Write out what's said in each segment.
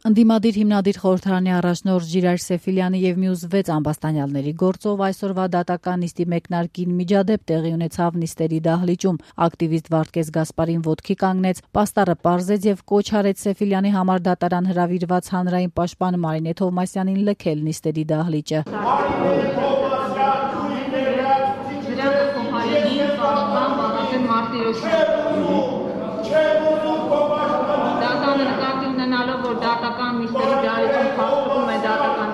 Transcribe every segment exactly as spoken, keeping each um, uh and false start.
Ընդդիմադիր հիմնադիր խորհրդարանի առաջնորդ Ժիրայր Սեֆիլյանի եւ մյուս վեց ամբաստանյալների գործով այսօրվա դատական նիստի մեկնարկին միջադեպ տեղի ունեցավ նիստերի դահլիճում։ Ակտիվիստ Վարդգես Գասպարին ոտքի կանգնեց, պաստառը պարզեց եւ կոչ արեց Սեֆիլյանի համար դատարան հրավիրված հանրային պաշտպան Մարինե Թովմասյանին լքել նիստերի դահլիճը։ Որ դատական նիստերի դահլիճում փաստում է դատական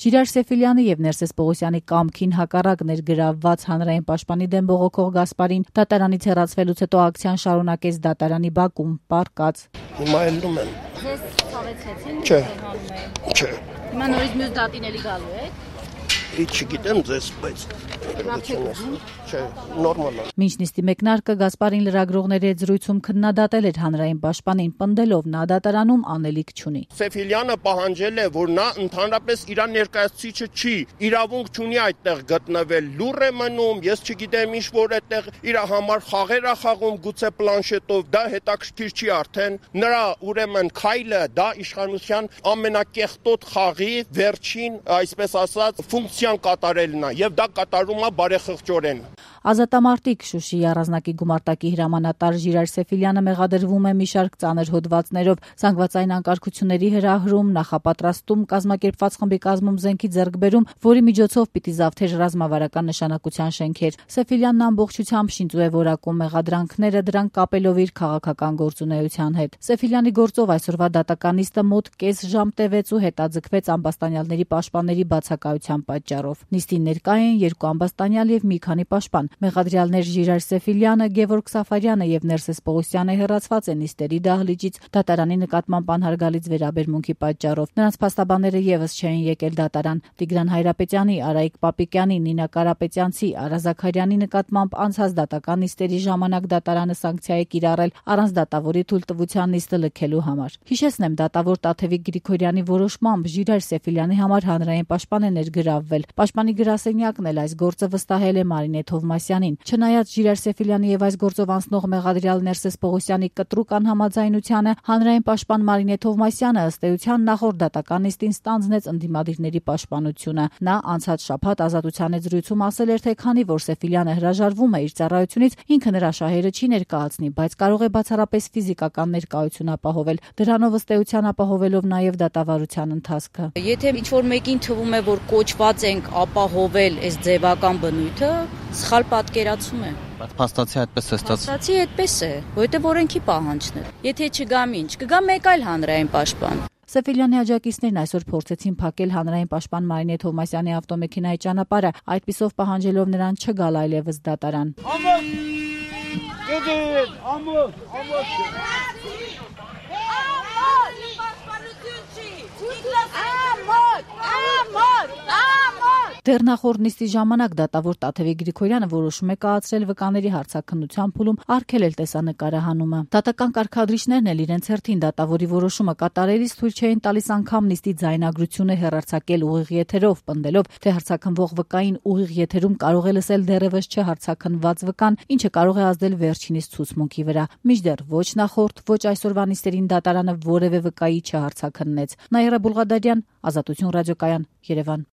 Ժիրայր Սեֆիլյանի եւ Ներսես Պողոսյանի կամքին հակառակ ներգրավված հանրային պաշտպանի դեմ բողոքող Գասպարին դատարանից հեռացվելուց հետո ակցիան շարունակեց դատարանի բակում, պառկած։ Հիմա ելնում եմ։ Ձեզ ցավեցեցին։ Չէ։ Չէ։ Հիմա նորից մյուս դատին էլի գալու եք։ Չգիտեմ ձեզ, բայց չէ, նորմալ է։ Մինչ նիստի մեկնարկը Գասպարին լրագրողների հետ զրույցում քննադատել էր հանրային պաշտպանին, պնդելով նա դատարանում անելիք չունի։ Սեֆիլյանը պահանջել է, որ նա ընդհանրապես իր ներկայացուցիչը չի, իրավունք չունի այդտեղ գտնվել, լուռ է մնում, ես չգիտեմ ինչ որ այդտեղ իր համար խաղեր է խաղում, գուցե պլանշետով, դա հետաքրքիր չի արդեն։ Նրա ուրեմն քայլը դա իշխանության ամենակեղտոտ խաղի վերջին, այսպես ասած, ֆունկցիան կատարելն է, եւ դա կատարում է բարեխղճորեն։ Ազատամարտիկ Շուշիի առանձնակի գումարտակի հրամանատար Ժիրայր Սեֆիլյանը մեղադրվում է մի շարք ծանր հոդվածներով, զանգվածային անկարգությունների հրահրում, նախապատրաստում, կազմակերպված խմբի կազմում զենքի ձեռքբերում, որի միջոցով պիտի զավթեր ռազմավարական նշանակության շենքեր։ Սեֆիլյանն ամբողջությամբ շինծու է որակում մեղադրանքները, դրանք կապելով իր քաղաքական գործունեության հետ։ Սեֆիլյանի գործով այսօրվա դատական նիստը մոտ կես ժամ տևեց ու հետաձգվեց ամբաստանյալների պաշտպանների բացակայության պատճառով։ Նիստին ներկա են երկու ամբաստանյալ եւ մի քանի պաշտպան։ Մեղադրյալներ Ժիրայր Սեֆիլյանը, Գևորգ Սաֆարյանը եւ Ներսես Պողոսյանը հեռացված են նիստերի դահլիճից դատարանի նկատմամբ անհարգալից վերաբերմունքի պատճառով։ Նրանց փաստաբանները եւս չէին եկել դատարան։ Տիգրան Հայրապետյանի, Արայիկ Պապիկյանի, Նինա Կարապետյանցի, Արա Զաքարյանի նկատմամբ անցած դատական նիստերի ժամանակ դատարանը սանկցիա է կիրառել առանց դատավորի թույլտվության նիստը լքելու համար։ Հիշեցնեմ, դատավոր Տաթևիկ Գրիգորյանի որոշմամբ Ժիրայր Սեֆիլյանի համար հանրային պաշտպան է ներգրավվել։ Պաշտպանի գրասենյակն էլ այս գործը վստահել է Մարինե Թովմասյանին։ Չնայած Ժիրայր Սեֆիլյանի եւ այս գործով անցնող մեղադրյալ Ներսես Պողոսյանի կտրուկ անհամաձայնությանը, հանրային պաշտպան Մարինե Թովմասյանը ըստ էության նախորդ դատական նիստին ստանձնեց ընդդիմադիրների պաշտպանությունը։ Նա անցած շաբաթ Ազատության հետ զրույցում ասել էր, թե քանի որ Սեֆիլյանը հրաժարվում է իր ծառայությունից, ինքը նրա շահերը չի ներկայացնի, բայց կարող է բացառապես ֆիզիկական ներկայություն ապահովել։ Դրանով ըստ էության ապահովելով նաեւ դատավարության ընթացքը։ Եթե ինչ-որ մեկին թվում է, որ կոչված ենք ապահովել այս ձևական բնույթը, սխալ պատկերացում է։ Բայց փաստացի այդպես է ստացվում։ Փաստացի այդպես է, որովհետև օրենքի պահանջն է։ Եթե չգա ինչ, կգա մեկ այլ հանրային պաշտպան։ Սեֆիլյանի աջակիցներն այսօր փորձեցին փակել հանրային պաշտպան Մարինե Թովմասյանի ավտոմեքենայի ճանապարհը, այդպիսով պահանջելով նրան չգալ այլևս դատարան։ Ամոթ! Գեդեն, ամոթ, ամոթ։ Դեռ նախորդ նիստի ժամանակ դատավոր Տաթևիկ Գրիգորյանը որոշում է կայացրել վկաների հարցաքննության փուլում արգելել տեսանկարահանումը։ Դատական կարգադրիչներն էլ իրենց հերթին դատավորի որոշումը կատարելիս թույլ չէին տալիս անգամ նիստի ձայնագրությունը հեռարձակել ուղիղ եթերով, պնդելով, թե հարցաքննվող վկային ուղիղ եթերում կարող է լսել դեռևս չհարցաքննված վկան, ինչը կարող է ազդել վերջինիս ցուցմունքի վրա։ Մինչդեռ ոչ նախորդ, ոչ այսօրվա նիստերին դատարանը որևէ վկայի չհարցաքննեց։ Նաիրա Բուլղադարյան, Ազատություն ռադիոկայան, Երևան։